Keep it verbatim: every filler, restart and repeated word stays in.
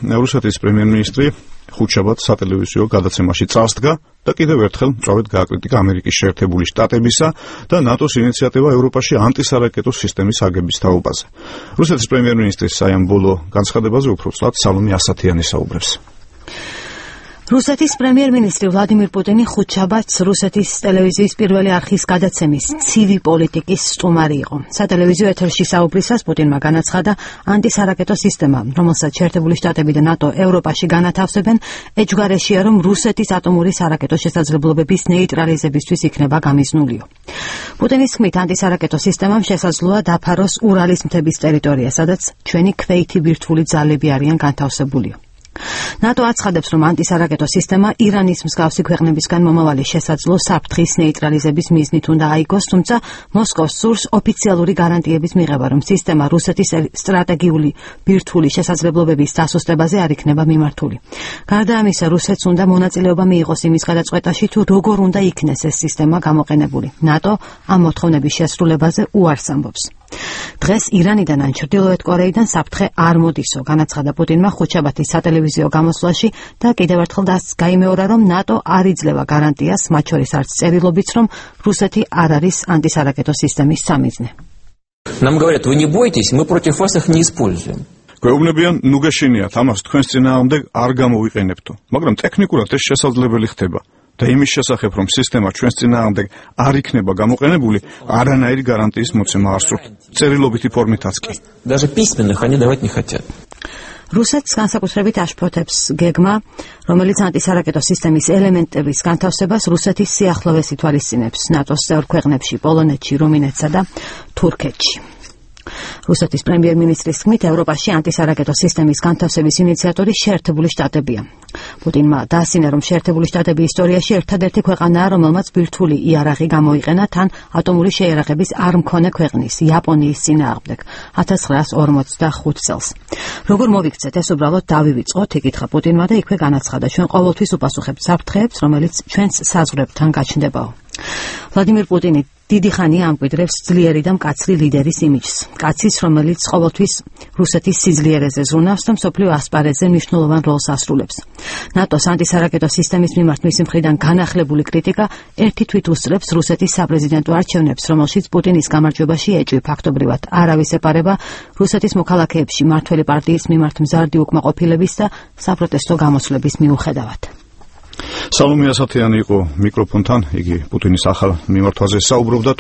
რუსეთის პრემიერ-მინისტრი ხუთშაბათ სატელევიზიო გადაცემაში წასდგა და კიდევ ერთხელ მწვავედ გააკრიტიკა ამერიკის შეერთებული შტატებისა და ნატოს ინიციატივა ევროპაში ანტისარაკეტო სისტემის აგების თაობაზე. რუსეთის პრემიერ-მინისტრის საამბოლო განცხადებაზე უფრო ცუდად სალომე ასათიანი საუბრებს. რუსეთის პრემიერ-მინისტრი ვლადიმირ პუტინი ხუთშაბათს რუსეთის ტელევიზიის პირველი არხის გადაცემის ცივი პოლიტიკის სტუმარი იყო. სატელევიზიო ეთერში საუბრისას პუტინმა განაცხადა ანტისარაკეტო სისტემა, რომელსაც შეერთებული შტატები და ნატო ევროპაში განათავსებენ, ეჯგარეშია, რომ რუსეთის ატომური სარაკეტო შესაძლებლობების ნეიტრალიზებისთვის იქნება გამიზნულიო. პუტინის თქმით, ანტისარაკეტო სისტემამ შესაძლოა დაფაროს ურალის მთების ტერიტორია, სადაც ჩვენი ქვეითი ბირთვული ძალები არიან განთავსებულიო. ნატო აცხადებს, რომ ანტისარაკეტო სისტემა ირანის მსგავსი ქვეყნებისგან მომავალი შესაძლო საფრთხის ნეიტრალიზების მიზნით უნდა აიგოს, თუმცა მოსკოვს სურს ოფიციალური გარანტიების მიღება, რომ სისტემა რუსეთის სტრატეგიული ბირთვული შესაძლებლობების დასუსტებაზე არ იქნება მიმართული. გარდა ამისა, რუსეთს უნდა მონაწილეობა მიიღოს იმის გადაწყვეტაში, თუ როგორ უნდა იქნეს ეს სისტემა გამოყენებული. ნატო ამ მოთხოვნების შესრულებაზე უარს ამბობს. დღეს ირანიდან ან ჩრდილოეთ კორეიდან საფრთხე არ მოდისო, განაცხადა პუტინმა ხუთშაბათის სატელევიზიო გამოსვლაში და კიდევ ერთხელ გაიმეორა, რომ ნატო არ იძლევა გარანტიას, მათ შორის არც წერილობით, რომ რუსეთი არ არის ანტისარაკეტო სისტემის სამიზნე. Нам говорят, вы не бойтесь, мы против вас их не используем. გვეუბნებიან, ნუ გეშინიათ, ამას თქვენს წინააღმდეგ არ გამოვიყენებთო, მაგრამ ტექნიკურად ეს შესაძლებელი ხდება. და იმის შესახებ, რომ სისტემა ჩვენს წინააღმდეგ არ იქნება გამოყენებული, არანაირი გარანტიის მოცემა არ სურთ. წერილობითი ფორმითაც კი. Даже письменных они давать не хотят. რუსეთს განსაკუთრებით აშფოთებს გეგმა, რომელიც ანტისარაკეტო სისტემის ელემენტების განთავსებას რუსეთის სიახლოვეს ითვალისწინებს ნატოს წევრ ქვეყნებში, პოლონეთში, რუმინეთსა და თურქეთში. რუსეთის პრემიერ-მინისტრის თქმით, ევროპაში ანტისარაკეტო სისტემის განთავსების ინიციატორი შეერთებული შტატებია. პუტინმა დაასინა, რომ შეერთებული შტატები ისტორიაში ერთადერთი ქვეყანაა, რომელმაც ბირთვული იარაღი გამოიყენა თან ატომური შეიარაღების არ მქონე ქვეყნის, იაპონიის წინააღმდეგ ათას ცხრაას ორმოცდახუთ წელს. როგორ მოვიქცეთ, ეს უბრალოდ დავივიწყოთ, იკითხა პუტინმა და იქვე განაცხადა, ჩვენ ყოველთვის უპასუხებთ საფრთხეებს, რომელიც ჩვენს საზღვრებთან გაჩნდებაო. ვლადიმირ პუტინი დიდი ხანია ამკვიდრებს ძლიერი და მკაცრი ლიდერის იმიჯს. კაცის, რომელიც ყოველთვის რუსეთის სიძლიერეზე ზრუნავს და მსოფლიო ასპარეზზე მნიშვნელოვან როლს ასრულებს. ნატოს ანტისარაკეტო სისტემის მიმართ მისი მხრიდან განახლებული კრიტიკა ერთი თვით უსწრებს რუსეთის საპრეზიდენტო არჩევნებს, რომელშიც პუტინის გამარჯვებაში ეჭვი ფაქტობრივად არავის ეპარება რუსეთის მოქალაქეებში მმართველი პარტიის მიმართ მზარდი უკმაყოფილების და საპროტესტო გამოსვლების მიუხედავად. სალომე ასათიანი იყო მიკროფონთან, იგი პუტინის ახალ მიმართვაზე საუბრობდა.